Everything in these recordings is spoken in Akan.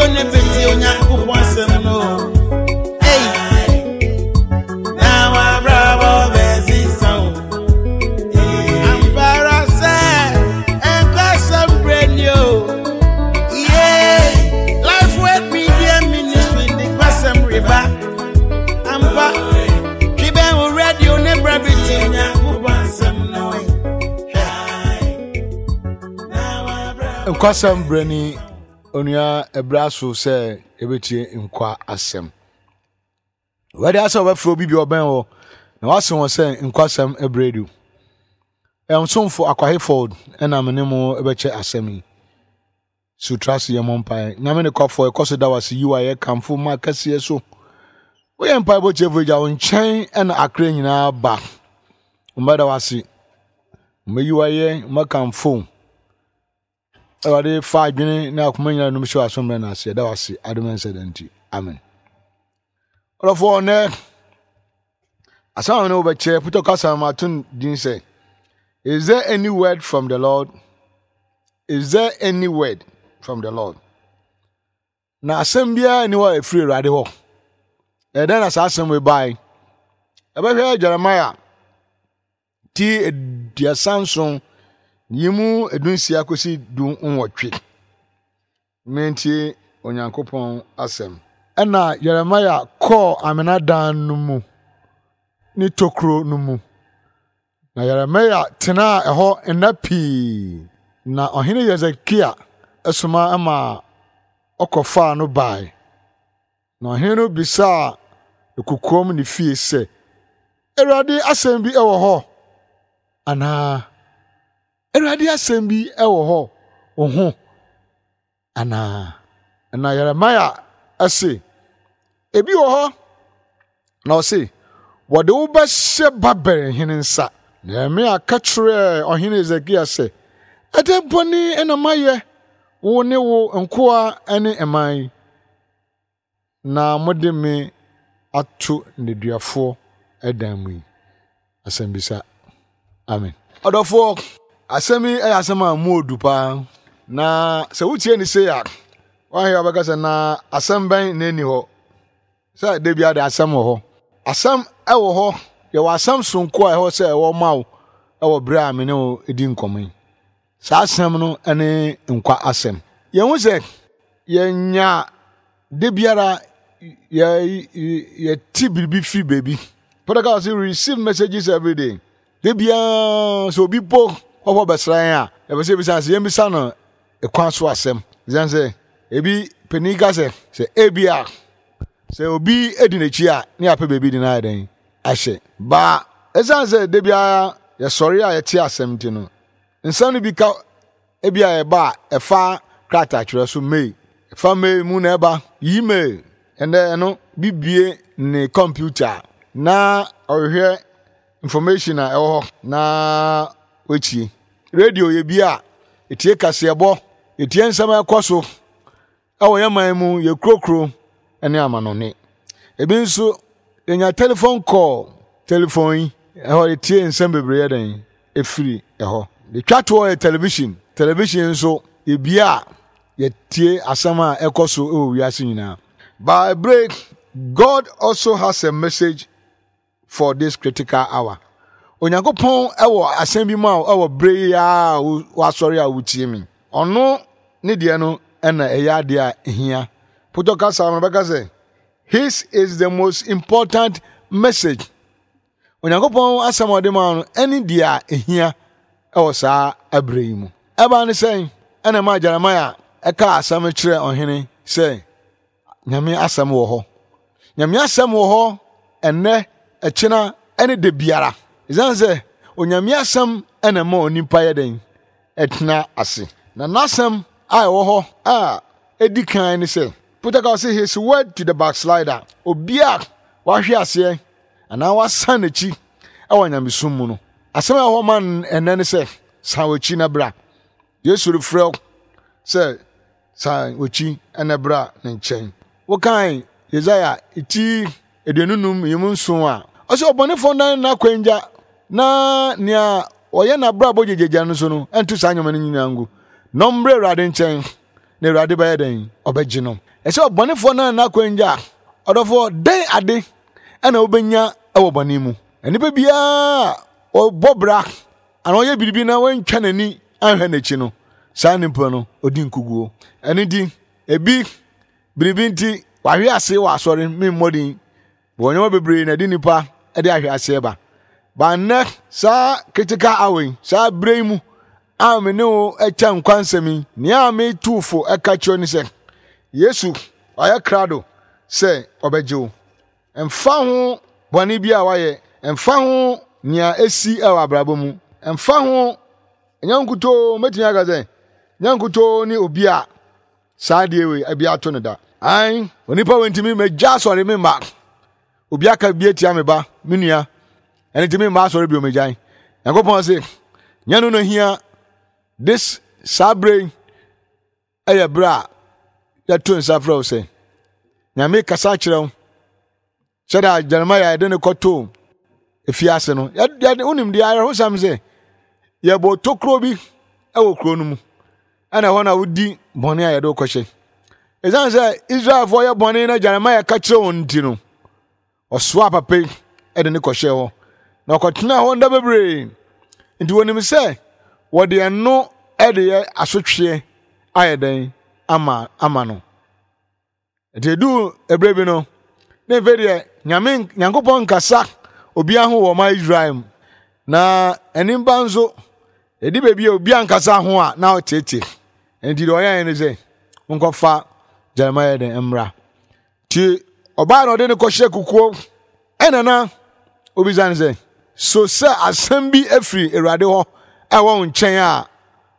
radio ne bɛtie Onyankopɔn asɛm no. Ei, na wabrabɔ bɛsesa o. Ampa ara sɛ nkwasɛm berɛ ni o. Yeah, Life Word Media Ministry de kwasɛm reba. Ampa, twe bɛn wo radio ne bra bɛtie Onyankopɔn asɛm no. Nkwasɛm berɛ ni onua ɛberɛ aso sɛ yɛbɛtie nkwa asɛm. Wɛde asɛ wɔbɛfrɛ obi bi ɔbɛn hɔ na wase wɔn sɛ nkwasɛm ɛberɛ du. Ɛnsomfo Akwahe Ford ɛna me ne mo ɛbɛkyɛ asɛm yi. So tra ase yɛ mmɔ mpaeɛ. Nyame ne kwafoɔ ɛkɔ so da wase yi wayɛ kamfo ma kɛseɛ so. Woyɛ mpaebɔ tiefo agya wo nkyɛn ɛna akra nyinaa ba. Mbɛda wase. Mbɛyi wayɛ mbɛkamfo. Awurade fa adwene ne akoma nyinaa nom hyɛ w'aso mmerɛ no ase. Ɛda wase adom ɛnsɛ da nti. Amen. Ɔdɔfoɔ nnɛ asɛm a ne wobɛkyɛ putɔ kasa ma ato din sɛ Is there any word from the Lord? Is there any word from the Lord? Na asɛm biara nni hɔ a ɛfiri Awurade hɔ. Ɛdɛn na saa asɛm wei bae? Ɛbɛhwɛ Jeremiah ti 37 yi mu 16 kɔsi 18. Mentie Onyankopɔn asɛm. Ɛnna Yeremia kɔɔ amena dan no mu ne tokuro no mu. Na Yeremia tenaa ɛhɔ nna pii. Na ɔhene Hesekia soma maa ɔkɔfaa no bae. Na ɔhene no bisaa no kokoam ne fie sɛ, Awurade asɛm bi wɔ hɔ anaa? Awurade asɛm bi wɔ hɔ wo ho anaa? Na Yeremia se, Ebi wɔ hɔ. Na ɔse, Wɔde wo bɛhyɛ Babel hene nsa. Na Yeremia ka kyerɛɛ ɔhene Hesekia sɛ, Ɛdɛn bɔne na mayɛ wo ne wo nkoa ne mman yi, na mode me ato nneduafoɔ dan mu yi? Asɛmbisa. Amen. Ɔdɔfoɔ, asɛm yi yɛ asɛm a mu odu paa. Na sɛ wotie ne sei a, woahwɛ a wobɛka sɛ na asɛm bɛn na ɛnni hɔ? Sɛ da biara de asɛm wɔ hɔ. Asɛm wɔ hɔ, yɛwɔ asɛm soronko a ɛwɔ sɛ ɛwɔ ma wo wɔ berɛ a me ne wo di nkɔmmɔ yi. Saa asɛm no ne nkwa asɛm. Yɛhu sɛ yɛnya da biara yɛte biribi firi baabi. Protocol sɛ receive messages every day. Da biara sɛ obi po kɔkɔ bɛsra yɛn a, yɛpɛ sɛ ebisa sɛ yɛmmisa no kwan so asɛm. Ɛsiane sɛ ebi panin ka sɛ sɛ ebi a sɛ obi di n'akyi a ne yɛapɛ baabi de no ayɛ dɛn ahyɛ. Ba ɛsiane sɛ da biara yɛsɔre a yɛte asɛm nti no, Nsɛm no bi ka ebia ɛba a ɛfa krataatwerɛ so mail. Ɛfa mail mu na ɛba. Yi mail. Ɛnɛ ɛno bi bue ne kɔmputa na ɔhwehwɛ information a ɛwɔ hɔ na watie. Radio yɛ bi a ɛtie kaseɛbɔ, ɛtie nsɛm a ɛkɔ so Ɛwɔ yɛn man mu, yɛ kurokuro ne amanɔne. Ebi nso, yɛnya telephone call, telephone yi, ɛhɔ yɛtie nsɛm bebree yɛ dɛn ɛfiri ɛhɔ. De twa toɔ yɛ television, television nso yɛbie a yɛtie asɛm a ɛkɔ so wɔ wiase nyinaa. By break, God also has a message for this critical hour. Onyankopɔn wɔ asɛm bi ma wo wɔ bere yi a wasɔre a wotie me. Ɔno ne deɛ no na ɛyɛ adeɛ a ehia. Potɔ kasa no bɛka sɛ his is the most important message. Onyankopɔn asɛm a ɔde ma no ɛne deɛ a ehia wɔ saa abere yi mu. Ɛbaa ne sɛn ɛna ɛmaa Jeremiah ɛkaa asɛm kyerɛɛ ɔhene sɛ Nyame asɛm wɔ hɔ. Nyame asɛm wɔ hɔ ɛnnɛ, ɛkyena, ɛne da biara. Ɛsiane sɛ Onyame asɛm ɛna ɛma onipa yɛ dɛn? Ɛtena ase. Na n'asɛm a ɛwɔ hɔ a ɛdi kan ne sɛ, Peter ka ɔse his word to the backslider, obi a wahwe aseɛ anaa wasan n'akyi ɛwɔ nyamesom mu no, asɛm a ɛwɔ hɔ ma ɛnnɛ ne sɛ, san w'akyi na bra. Yesu refrɛ wo sɛ san w'akyi na bra ne nkyɛn. Wokan Yesaia ti 25 yi mu nson a, ɔsɛ ɔbɔnefoɔ nnan n'akwangya na nea ɔyɛ n'abrabɔ gyegyagya no so no nto saa nneɛma no nyinaa ngu na ɔmmrɛ Awurade nkyɛn na Awurade bɛyɛ dɛn? Ɔbɛgye no. Ɛsɛ ɔbɔnefoɔ no n'akwan gya. Ɔdɔfoɔ, dɛn ade ɛna wobɛnya wɔ bɔne mu? Nnipa biara ɔbɔ bra anaa ɔyɛ biribi na wantwa n'ani anhwɛ n'akyi no, saa nipa no ɔdi nkuguo. Ɛno nti, ebi biribi nti wahwe ase wɔ asɔre memmɔ din. Wɔ nneɛma bebree na ɛde nipa de ahwe aseɛ ba. Ba nnɛ saa critical hour yi, saa berɛ yi mu a me ne wo kyɛ nkwa nsɛm yi, nea metu fo ɛka kyerɛ ne sɛ, Yesu ɔyɛ krado sɛ ɔbɛgye wo. Ɛmfa ho bɔne bi a wayɛ, ɛmfa ho nea esi wɔ abrabɔ mu, ɛmfa ho, ɛnyɛ nkutoo, mɛtumi aka sɛ, nyɛ nkutoo ne obi a saa adeɛ wei ebi ato no da. Ae, onipa wei ntumi mɛgya asɔre me mma. Obi aka bi atia me ba, me nua, ɛno nti me mma asɔre bio megyae. Nyankopɔn se, nyɛ no na hia this saa berɛ yi ɛyɛ berɛ a yɛto nsa frɛ wo sɛ Nyame kasa kyerɛ wo sɛdeɛ Jeremiah yɛde no kɔtoo efiase no yɛde wonim deɛ awerɛhosɛm sɛ yɛbɔ tokuro bi wɔ kuro no mu ɛna ɛhɔ na wodi bɔne a yɛde wokɔhyɛ ɛsiane sɛ Israelfoɔ yɛ bɔne na Jeremiah ka kyerɛ wɔn nti no ɔsoaa papa yi de ne kɔhyɛɛ hɔ na ɔkɔtenaa hɔ nda bebree nti wɔnim sɛ wɔde ɛno de yɛ asotweɛ ayɛ dɛn ama ama no Nti eduu ɛberɛ bi no, ne mfe deɛ Nyame Nyankopɔn nkasa obiara ho wɔ ɔman Israel mu. Na animba nso, ɛdi baabi a obiara nkasa ho a na ɔteete. Nti deɛ ɔyɛɛ ne sɛ, monkɔfa Jeremiah dɛn mmra. Nti ɔbaa na ɔde no kɔhyɛ kukuo ɛna na obisa no sɛ, so sɛ asɛm bi afiri Awurade hɔ ɛwɔ wo nkyɛn a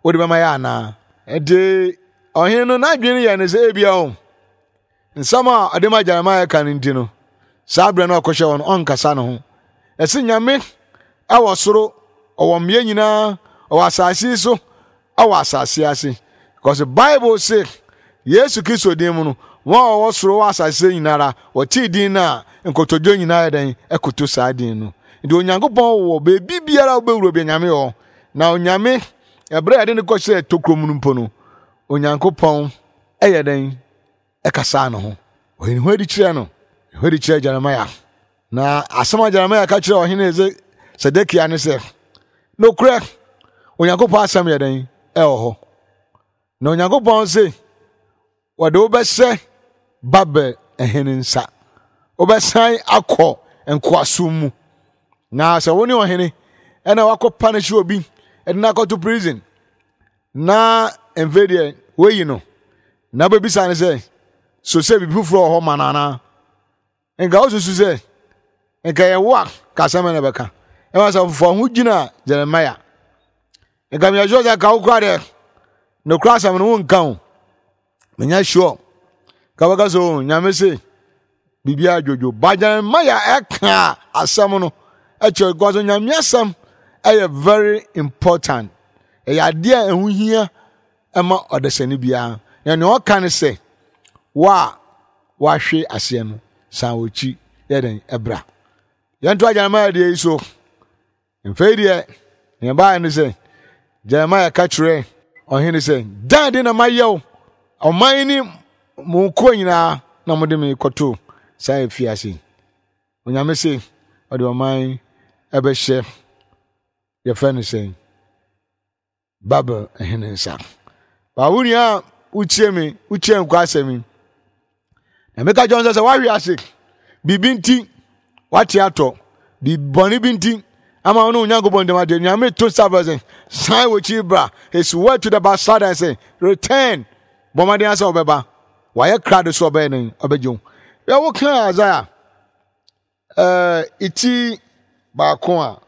wode bɛma yɛ anaa? Nti ɔhene no n'adwene yɛ ne sɛ ebia o nsɛm a ɔde ma Jeremiah ka no nti no saa berɛ no ɔkɔhyɛ hɔ no ɔnkasa ne ho. Ɛsɛ Nyame ɛwɔ soro, ɔwɔ mmea nyinaa, ɔwɔ asase so, ɛwɔ asase ase. Because Bible se Yesu Kristo din mu no, wɔn a wɔwɔ soro wɔ asase so nyinara, wɔtee din no a, nkotodwe nyinaa yɛ dɛn ɛkoto saa din no. Nti Onyankopɔn wɔ baabi biara wobɛwura bi Nyame wɔ. Na Onyame, ɛberɛ a yɛde no kɔhyɛɛ tokuro mu no mpo no, Onyankopɔn ɛyɛ dɛn ɛkasaa ne ho. Ɔyɛ ne ho adi kyerɛ no, ne ho adi kyerɛ Jeremiah. Na asɛm a Jeremiah ka kyerɛ ɔhene Sedekia ne sɛ, nokorɛ, Onyankopɔn asɛm yɛ dɛn ɛwɔ hɔ. Na Onyankopɔn se, wɔde wo bɛhyɛ Babel hene nsa. Wobɛsan akɔ nkoasom mu. Na sɛ wo ne ɔhene ɛna wakɔ punish obi ɛde no akɔto prison na mfe deɛ woyi no na wobɛbisa no sɛ so sɛ biribi foforɔ wɔ hɔ ma no anaa? Nka wosusu sɛ nka yɛ wo a ka asɛm na bɛka. Ɛma sɛ fa ho gyina Jeremiah. Nka meyɛ sure sɛ ka wo kora deɛ nokora asɛm no wonka o. Menya sure. Ka bɛka sɛ o nyame se biribiara dwodwo. Ba Jeremiah ɛka asɛm no ɛkyerɛ because nyame asɛm ɛyɛ very important. Ɛyɛ adeɛ a ɛho hia ɛma ɔdasani biara. Na nea ɔka ne sɛ wo a wahwe aseɛ no san wɔkyi yɛ dɛn ɛbra. Yɛntoa Jeremiah deɛ yi so. Mfei deɛ nea ɛbaeɛ ne sɛ Jeremiah ka kyerɛ ɔhene sɛ dan de na mayɛ wo ɔman ne mo nkoa nyinaa na mode me kɔto saa afiase yi. Onyame se ɔde ɔman ɛbɛhyɛ yɛfrɛ no sɛn Babel hene nsa. Ba wo nua a wotie me, wotie nkwa asɛm yi. Na meka kyerɛ sɛ sɛ woahwe ase biribi nti wate atɔ biribi bɔne bi nti ama wo ne Onyankopɔn ntam adeɛ Nyame to nsa frɛ sɛ san w'akyi bra. His word to the backslider sɛ return bɔ mmɔden asɛ wobɛba wayɛ krado so ɔbɛyɛ ne ɔbɛgye wo. Yɛ wo kan Isaiah ɛɛ iti baako a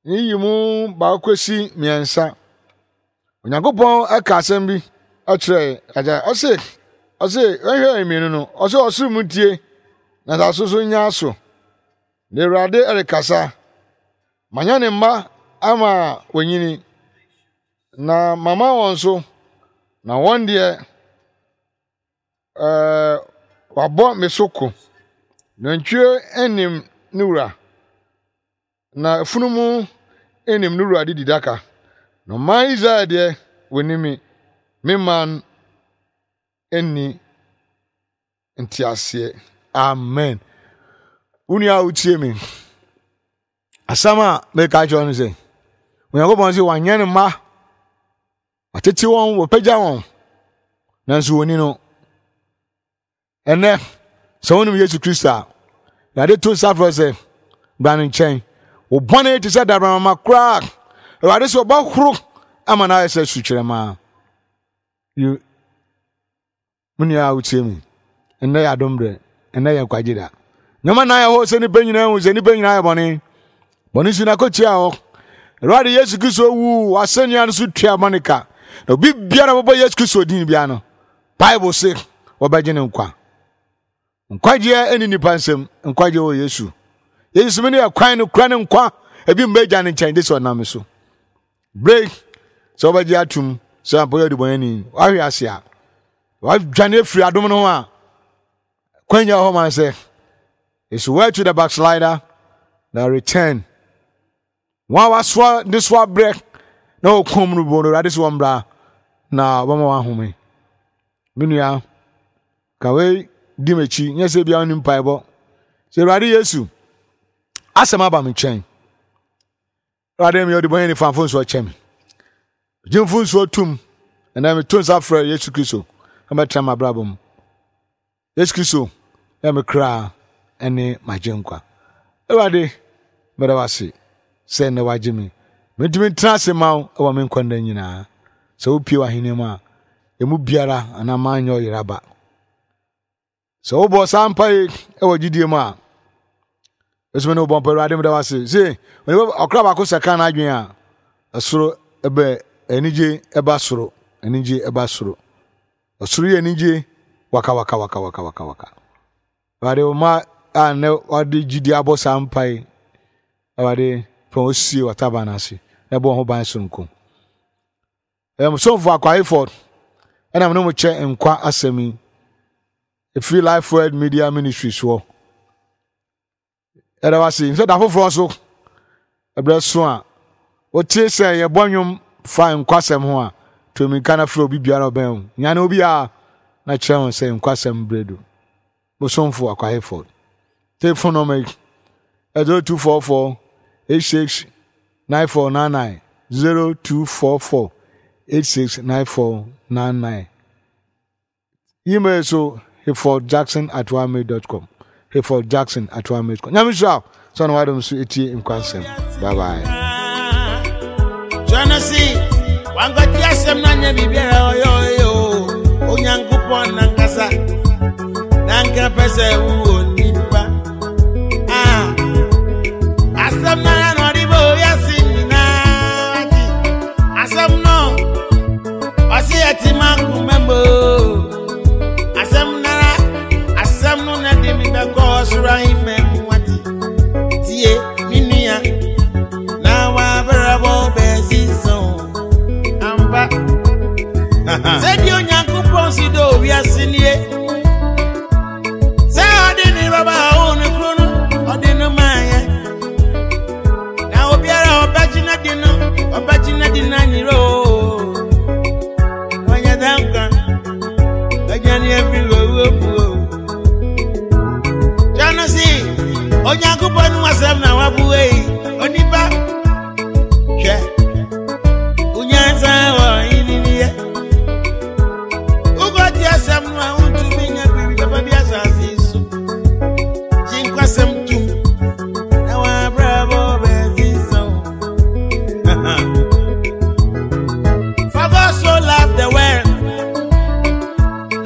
Yiyi mu baako kosi mmiɛnsa. Onyankopɔn ka asɛm bi kyerɛ agya. Ɔse, ɔse, hwɛ mmienu no. Ɔse ɔsoro mu ntie na asase so nya aso. Na Awurade rekasa. Manya ne mma ama wɔnyini, na mama wɔn so, na wɔn deɛ ɛɛ wabɔ me so ko. Nantwie nim ne wura. Na afunumu nnim ne wura dididaka, na ɔman Israel deɛ, wɔnni me, me man nni. nteaseɛ. Amen. Wo nua a wotie me, asɛm a meka kyerɛ no sɛ, Onyankopɔn sɛ wanyɛ ne mma, watete wɔn, wɔpagya wɔn, nanso wɔni no. Ɛnɛ, sɛ wonim Yesu Kristo a, Awurade to nsa frɛ sɛ, bra ne nkyɛn. Wo bɔne te sɛ dabramama koraa. Awurade sɛ ɔbɛhoro ama no ayɛ sɛ sukyerɛma. Me nua a wotie me, ɛnnɛ yɛ adom berɛ, ɛnnɛ yɛ nkwagye da. Nneɛma nan ɛhɔ sɛ nnipa nyinaa hu sɛ nnipa nyinaa yɛ bɔne. Bɔne su na kɔtua hɔ. Awurade Yesu Kristo wu asɛnnua no so tua bɔne ka. Na obi biara bɛbɔ Yesu Kristo din biara no, Bible se wɔbɛgye ne nkwa. Nkwagyeɛ ɛni nipa nsam, nkwagyeɛ wɔ Yesu. Yesu sɛ mene ɛkwan no kura ne nkwa, ebi mma agya ne nkyɛn gye sɛ ɔnam me so. Bere sɛ wobɛgye atum sɛ ampa yɛ ɔdebɔneyɛni, wahwe ase a, wadwane afiri adom no ho a, kwan nyɛ hɔ ma sɛ it's where to the backslider that return. Wɔn a wasoa ne so abrɛ na wɔkɔn mu no bɔ no awurade sɛ wɔn bra na wɔbɛma wɔn ahome. Me nua, ka wei di m'akyi nyɛ sɛ bia wonim mpaebɔ. Sɛ Awurade Yesu asɛm aba me nkyɛn. Awurade meyɛ ɔdebɔneyɛni fa mfomsoɔ kyɛ me. Gye mfomsoɔ tum ɛnɛ meto nsa frɛ Yesu Kristo na bɛtena m'abrabɔ mu. Yesu Kristo yɛ me kra ɛne m'agyenkwa. Awurade meda wo ase sɛ nnɛ wagye me. Mentumi ntena ase ma wo wɔ me nkwa nna nyinaa. Sɛ wopie w'ahenni mu a, emu biara anaa manyɛ ɔyera ba. Sɛ wobɔ saa mpa yi wɔ gyidie mu a, ɛsɛ ne wobɔ mpa Awurade meda wo ase. Se ɔkra baako sakra n'adwene a, ɛsoro ɛbɛ anigye ɛba soro, anigye ɛba soro. Ɔsoro yɛ anigye waka waka waka waka waka waka. Awurade wo ma a nnɛ wɔde gyidie abɔ saa mpa yi, Awurade fa wɔn sie w'ataban no ase na ɛbɔ wɔn ho ban soronko. Ɛyɛ mo somfo Akwa Hayford ɛna me ne mo kyɛ nkwa asɛm yi ɛfiri Life Word Media Ministry soɔ. Ɛda wase sɛ da foforɔ so ɛberɛ so a wote sɛ yɛbɔ nnwom fa nkwasɛm ho a to mmirika na frɛ obi biara ɔbɛn wo nyane obi a na kyerɛ wɔn sɛ nkwasɛm berɛ du. Mo somfo Akwa Hayford. Telephone number yi 0244 86 9499 0244 86 9499. Email so hayfordjackson at ymail.com hayfordjackson at ymail.com. Nyame nhyira wo sɛ ɔna wadom so etie nkwa nsɛm. Bye bye. Genesis, wankɔte asɛm no anyɛ biribiara ɔyɛ ɔyɛ o Onyankopɔn nankasa na nka pɛ sɛ wowɔ nipa Ah, asɛm no ara na ɔde bɔ wiase nyinaa ati asɛm no ɔse ɛte ma nkoma mu asɛm no ara asɛm no na de me bɛkɔ ɔsoro ahemman mu ati tie me nua na wabrabɔ bɛsesa o ampa sɛdeɛ Onyankopɔn si dɔ wiase nie sɛ ɔde ne baba a ɔwɔ ne kuro no ɔde no maayɛ na obiara a ɔbɛgye no di no ɔbɛgye no di no anyerɛ o wanya da nkwa bɛdwane afiri owuo mu o Kyerɛ se Onyankopɔn no asɛm na waboa yi onipa hwɛ wonyansa wɔ yininiɛ wokɔte asɛm no a wontumi nya biribi papa bi asase yi so gye nkwasɛm tom na wɔabrabɔ bɛsesa wo. For God so loved the world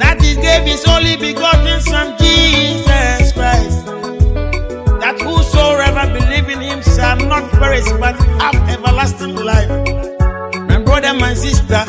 that he gave his only begotten Son, Jesus Christ, that whosoever believe in him shall not perish but have everlasting life. My brother, my sister,